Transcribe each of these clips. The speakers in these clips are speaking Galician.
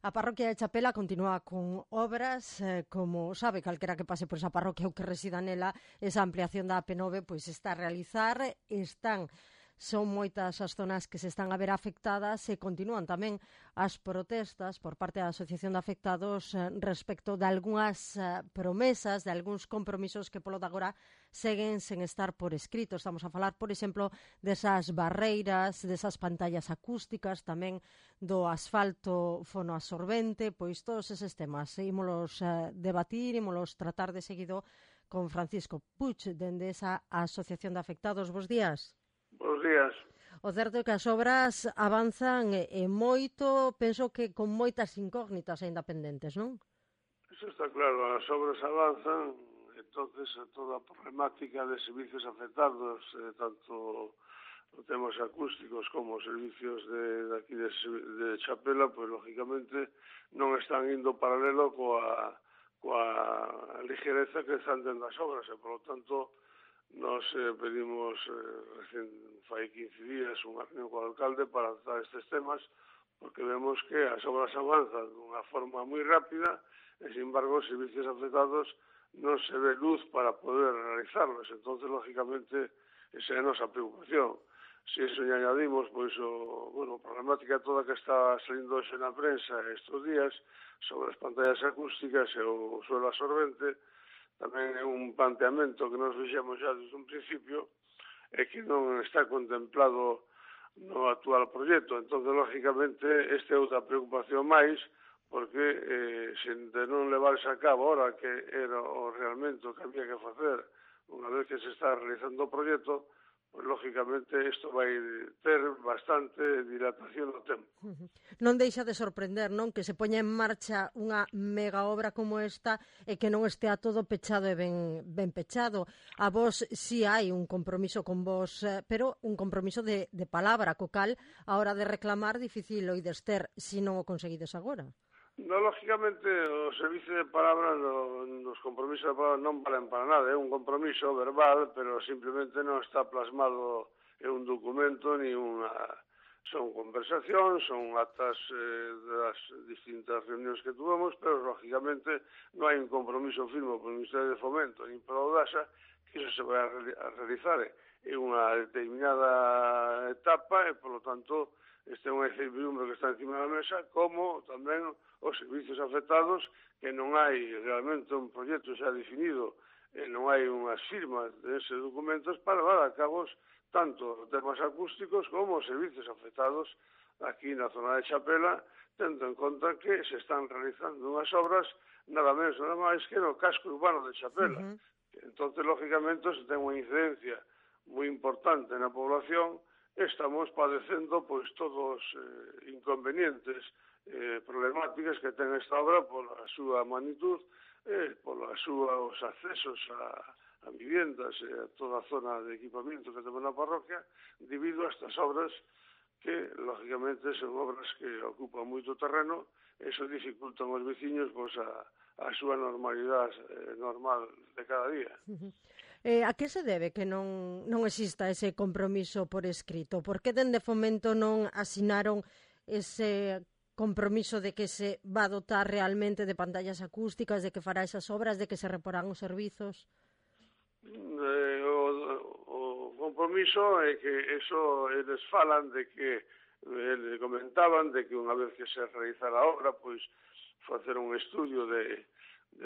A parroquia de Chapela continúa con obras, como sabe calquera que pase por esa parroquia ou que resida nela, esa ampliación da AP9 pois está a realizar, son moitas as zonas que se están a ver afectadas e continúan tamén as protestas por parte da Asociación de Afectados respecto de algunhas promesas, de algúns compromisos que polo de agora seguen sen estar por escrito. Estamos a falar, por exemplo, desas barreiras, desas pantallas acústicas, tamén do asfalto fonoabsorbente, pois todos eses temas. Ímolos debatir, ímolos tratar de seguido con Francisco Puig, dende esa Asociación de Afectados. Bos días. Bos días. O certo é que as obras avanzan moito, penso que con moitas incógnitas aínda pendentes, non? Eso está claro, as obras avanzan, entonces toda a problemática de servicios afectados, tanto os temas acústicos como os servicios de aquí de Chapela, pois lógicamente non están indo paralelo coa ligereza que están tendo as obras, e por lo tanto nos pedimos fai 15 días unha reunión co alcalde para tratar estes temas, porque vemos que as obras avanzan dunha forma moi rápida e, sin embargo, os servicios afectados non se ve luz para poder realizarlos. Entonces, lógicamente, esa é a nosa preocupación. Se eso lle añadimos, pois, a problemática toda que está salindo hoxe na prensa estes días sobre as pantallas acústicas e o suelo absorbente, tamén é un planteamento que nos fixemos xa desde un principio e que non está contemplado no actual proxecto. Entón, lógicamente, esta é outra preocupación máis, porque se de non levarse a cabo ahora que era realmente o que había que facer unha vez que se está realizando o proxecto, pois, lógicamente, isto vai ter bastante dilatación no tempo. Non deixa de sorprender, non? Que se poña en marcha unha mega obra como esta e que non estea todo pechado e ben pechado. A vos si hai un compromiso con vos, pero un compromiso de palabra, co cal, a hora de reclamar, difícil oides ter se non o conseguides agora. No, lógicamente, o servicio de palabra, nos compromisos de palabra non valen para nada. É un compromiso verbal, pero simplemente non está plasmado en un documento ni unha... Son conversacións, son actas das distintas reunións que tuvemos, pero, lógicamente, non hai un compromiso firme polo Ministerio de Fomento ni polo DASA que iso se vai a realizar en unha determinada etapa e, polo tanto, este é unha incertidumbre que está encima da mesa, como tamén os servicios afectados, que non hai realmente un proxecto xa definido e non hai unhas firmas deses documentos para dar a cabo tanto temas acústicos como os servicios afectados aquí na zona de Chapela, tendo en conta que se están realizando unhas obras nada menos nada máis que no casco urbano de Chapela. Entonces, lógicamente, se ten unha incidencia moi importante na población, estamos padecendo pois todos inconvenientes, problemáticas que ten esta obra pola súa magnitud, os accesos a viviendas e a toda a zona de equipamento que temos na parroquia, debido a estas obras que, lógicamente, son obras que ocupan moito terreno e iso dificultan aos veciños pois, a súa normalidade normal de cada día. A que se debe que non exista ese compromiso por escrito? Por que dende Fomento non asinaron ese compromiso de que se va a dotar realmente de pantallas acústicas, de que fará esas obras, de que se reporán os servizos? O compromiso é que eso eles falan de que eles comentaban de que unha vez que se realizara a obra, pois facer un estudio de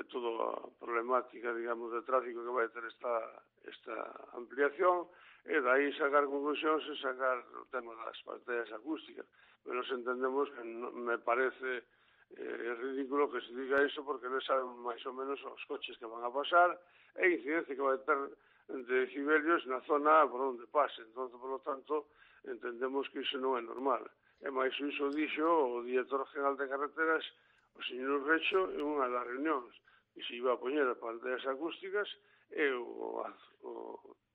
toda a problemática, digamos, de tráfico que vai ter esta ampliación e dai sacar conclusións e sacar o tema das pantallas acústicas. Pero nos entendemos que me parece ridículo que se diga iso porque non saben máis ou menos os coches que van a pasar e a incidencia que vai ter de decibelios na zona por onde pase. Entón, por lo tanto, entendemos que iso non é normal. E máis iso dixo o director general de carreteras, o señor Recho, en unha das reunións, que se iba a poñer as pantallas acústicas e o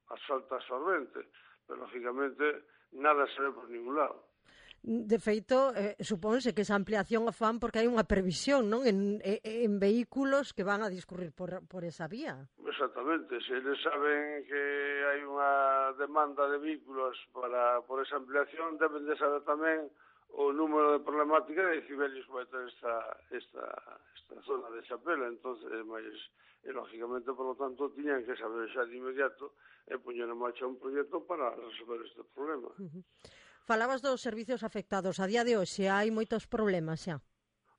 asfalto absorbente. Pero, lógicamente, nada se ve por ningún lado. De feito, supónse que esa ampliación a fan porque hai unha previsión, non? En vehículos que van a discurrir por esa vía. Exactamente, se eles saben que hai unha demanda de vehículos por esa ampliación, deben de saber tamén o número de problemática de decibelios que vai ter esta zona de Chapela. Entonces, lógicamente, por lo tanto, tiñan que saber xa de inmediato e poñer en marcha un proxecto para resolver este problema. Falabas dos servicios afectados. A día de hoxe hai moitos problemas xa.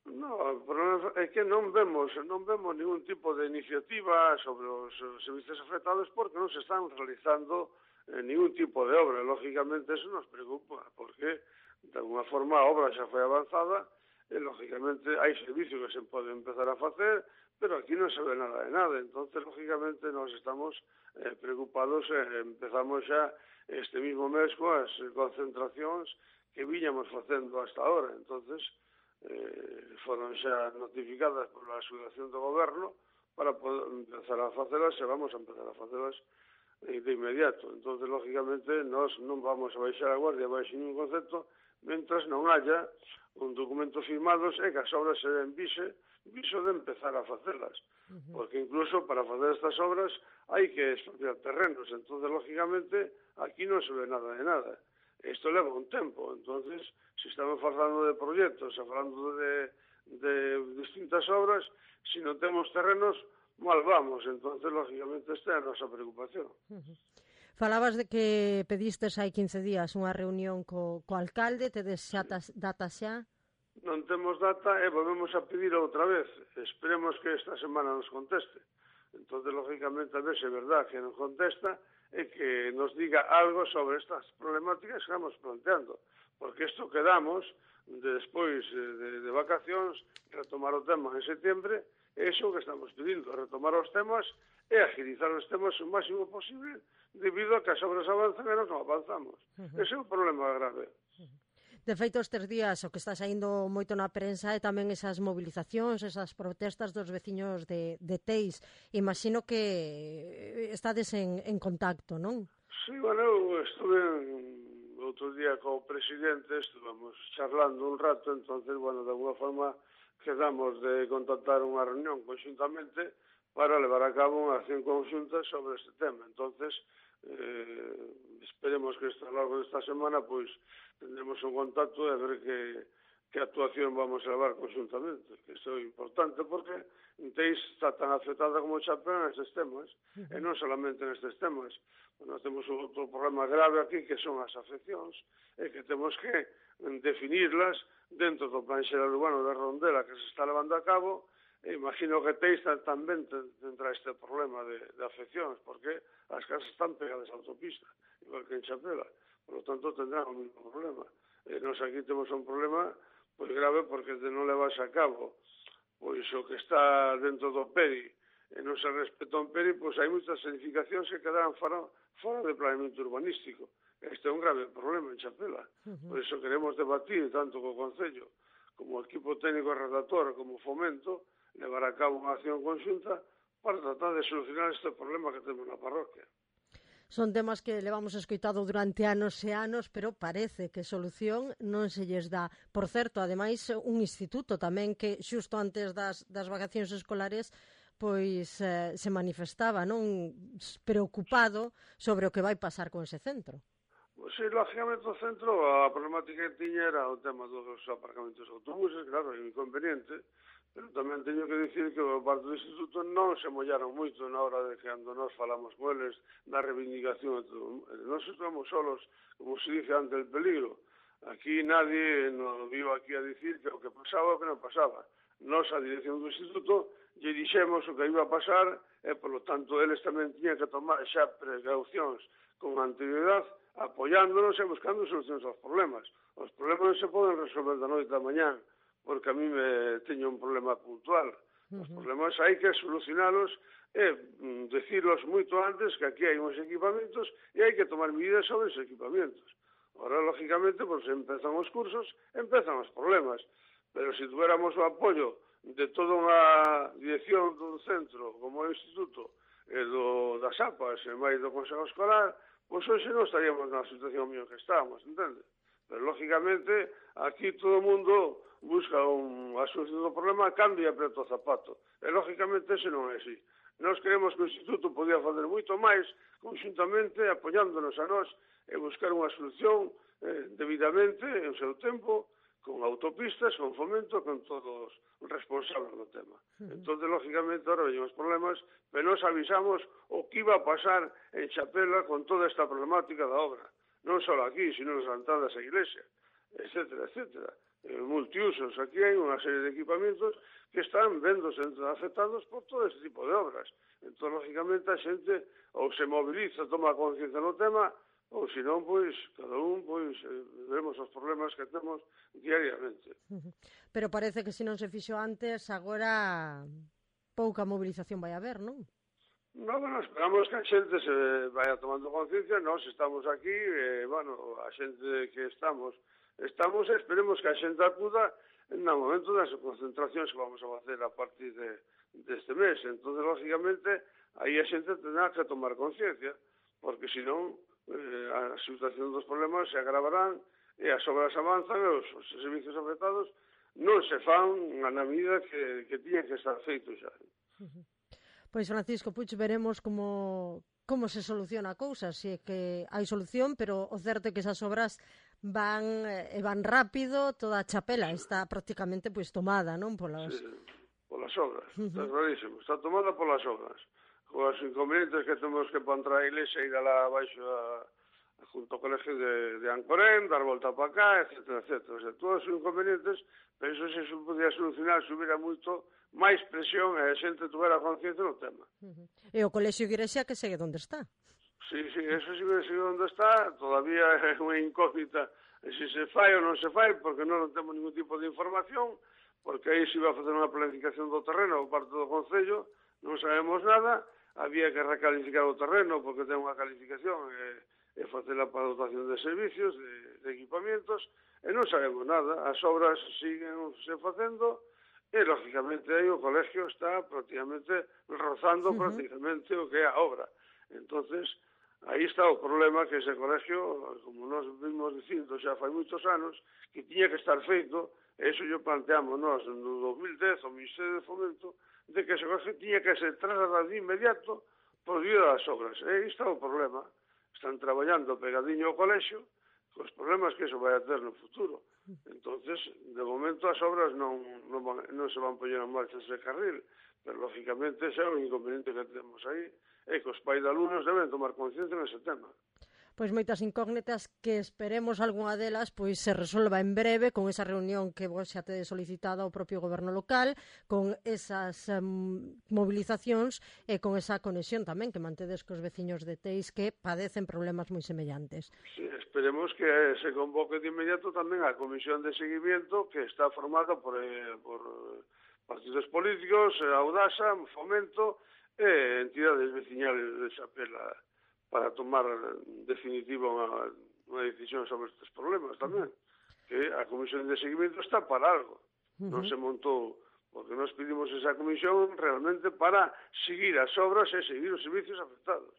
No, o problema é que non vemos ningún tipo de iniciativa sobre os servicios afectados porque non se están realizando ningún tipo de obra. Lógicamente, eso nos preocupa, porque, de alguna forma, a obra xa foi avanzada e, lógicamente, hai servicios que se poden empezar a facer, pero aquí non se ve nada de nada. Entonces, lógicamente, nos estamos preocupados e empezamos xa este mismo mes coas concentracións que viñamos facendo hasta ahora. Entonces, foron xa notificadas por a Asociación do Goberno para poder empezar a facelas e vamos a empezar a facelas de inmediato. Entonces, lógicamente, nós non vamos a baixar a guardia baixo ningún concepto mentras non haya un documento firmados e que as obras se den viso de empezar a facelas. Porque incluso para facer estas obras hai que expropiar terrenos. Entonces, lógicamente, aquí non se ve nada de nada. Isto leva un tempo. Entonces, se estamos falando de proxectos, falando de distintas obras, se non temos terrenos, mal vamos. Entonces, lógicamente, esta é a nosa preocupación. Falabas de que pedistes hai 15 días unha reunión co alcalde, tedes xa data xa? Non temos data e volvemos a pedir outra vez. Esperemos que esta semana nos conteste. Entonces, lógicamente, a ver se é verdad que non contesta e que nos diga algo sobre estas problemáticas que estamos planteando. Porque isto quedamos, despois de vacacións, retomar o tema en setembro, e iso que estamos pedindo, retomar os temas e agilizar os temas o máximo posible debido a que as obras avanzan e nós non avanzamos. Ese é un problema grave. De feito, estes días o que está saindo moito na prensa é tamén esas movilizacións, esas protestas dos veciños de Teis. Imagino que estades en contacto, non? Sí, bueno, eu estuve outro día co presidente, estuvamos charlando un rato, entonces, bueno, de alguna forma quedamos de contactar unha reunión conjuntamente para levar a cabo unha acción conjunta sobre este tema. Entonces, esperemos que a lo largo desta semana pois tendremos un contacto e a ver que actuación vamos a levar conjuntamente, que isto é importante porque Teis está tan afectada como Chapela nestes temas, e non solamente nestes temas. Nós temos outro problema grave aquí que son as afeccións e que temos que definirlas dentro do plan xeral urbano de Rondela que se está levando a cabo. E imagino que Teis tamén tendrá este problema de afeccións, porque as casas están pegadas á autopista, igual que en Chapela. Por lo tanto, tendrán o mismo problema. E nós aquí temos un problema pois grave porque de non levarse a cabo pois o que está dentro do PERI e non se respeta un PERI, pois hai moitas edificacións que quedarán fora de planeamento urbanístico. Este é un grave problema en Chapela. Por iso queremos debatir tanto co Concello como o equipo técnico redactor como Fomento, levar a cabo unha acción conxunta para tratar de solucionar este problema que temos na parroquia. Son temas que levamos escoitado durante anos e anos, pero parece que solución non se lles dá. Por certo, ademais, un instituto tamén que xusto antes das vacacións escolares pois se manifestaba, non, preocupado sobre o que vai pasar con ese centro. Pois, sí, lógicamente o centro, a problemática que tiña era o tema dos aparcamentos de autobuses, claro, é inconveniente, pero tamén teño que dicir que o parte do instituto non se mollaron moito na hora de que cando nós falamos con eles da reivindicación e todo. Nós estamos solos, como se dice, ante el peligro. Aquí nadie nos viu aquí a dicir que o que pasaba o que non pasaba. Nós, a dirección do instituto, lle dixemos o que iba a pasar e, polo tanto, eles tamén tiñan que tomar xa precaucións con anterioridade, apoiándonos e buscando solucións aos problemas. Os problemas non se poden resolver da noite a mañán, porque a mí me teño un problema puntual. Os problemas hai que solucionalos e decirlos moito antes que aquí hai uns equipamentos e hai que tomar medidas sobre os equipamentos. Ahora, lógicamente, pues, empezan os cursos, empezan os problemas. Pero se tuéramos o apoio de toda unha dirección dun centro, como o instituto, e das APAs, e máis do Consejo Escolar, pois hoxe non estaríamos na situación mío que estábamos, entende? Pero, lógicamente, aquí todo o mundo busca a solución do problema, cambia e apreta o zapato. E, lógicamente, ese non é así. Nós queremos que o Instituto podía fazer moito máis, conjuntamente, apoiándonos a nós, e buscar unha solución debidamente, en seu tempo, con autopistas, con Fomento, con todos os responsables do tema. Entón, lógicamente, ahora veñen os problemas, pero nos avisamos o que iba a pasar en Chapela con toda esta problemática da obra. Non só aquí, sino nas entradas á iglesia, etcétera, etcétera. Multiusos, aquí hai unha serie de equipamentos que están vendose afectados por todo este tipo de obras. Entón, lógicamente, a xente ou se moviliza, toma conciencia no tema, ou senón, pois, cada un, pois, vemos os problemas que temos diariamente. Pero parece que se non se fixo antes, agora pouca movilización vai haber, non? No, bueno, esperamos que a xente se vaya tomando conciencia, nós estamos aquí, bueno, a xente que estamos e esperemos que a xente acuda no momento das concentracións que vamos a facer a partir deste mes. Entón, lógicamente, aí a xente tendrá que tomar conciencia, porque senón a situación dos problemas se agravarán e as obras avanzan e os servicios afectados non se fan na medida que tiñan que estar feitos xa. Pois, Francisco Puig, veremos como se soluciona a cousa, se é que hai solución, pero o certo é que esas obras van rápido, toda a Chapela está prácticamente pois tomada, non? Polas obras, está clarísimo, está tomada polas obras. Os inconvenientes que temos que entrar a iglesia e ir alá abaixo junto ao colegio de Ancorén, dar volta para cá, etcétera, etcétera. O sea, todos os inconvenientes, penso que se podía solucionar se hubiera moito máis presión e a xente tuvera conciencia no tema. E o colexio iglesia que segue onde está. Sí, eso sigue onde está, todavía é unha incógnita se se fai ou non se fai, porque non temos ningún tipo de información, porque aí se iba a facer unha planificación do terreno por parte do Concello, non sabemos nada, había que recalificar o terreno porque ten unha calificación e facer a dotación de servicios, de equipamientos, e non sabemos nada. As obras siguen se facendo e, lógicamente, aí o colegio está prácticamente rozando prácticamente o que é a obra. Entonces, aí está o problema que ese colegio, como nós vimos dicindo xa fai moitos anos, que tiña que estar feito, e iso yo planteamos nós no 2010, o Ministerio de Fomento, de que ese colegio tiña que ser trasladado de inmediato por vía das obras. E aí está o problema. Están traballando pegadinho ao colexio cos problemas que eso vai a ter no futuro. Entonces, de momento as obras non se van poñer en marcha ese carril, pero lógicamente xa é un inconveniente que temos aí e que os pais de alumnos deben tomar conciencia nese tema. Pois moitas incógnitas que esperemos algunha delas pois se resolva en breve con esa reunión que vos xa tedes solicitada ao propio goberno local, con esas movilizacións e con esa conexión tamén que mantedes cos veciños de Teis que padecen problemas moi semellantes. Sí, esperemos que se convoque de inmediato tamén a comisión de seguimiento que está formada por partidos políticos, Audasa, Fomento e entidades veciñales de Chapela para tomar definitiva unha decisión sobre estes problemas tamén. Que a comisión de seguimento está para algo. Non se montou, porque nós pedimos esa comisión realmente para seguir as obras e seguir os servicios afectados.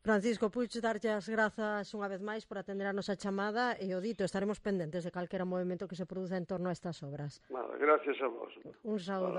Francisco Puig, darlle as grazas unha vez máis por atender a nosa chamada e o dito, estaremos pendentes de calquera movimento que se produza en torno a estas obras. Nada, gracias a vos. Un saúdo.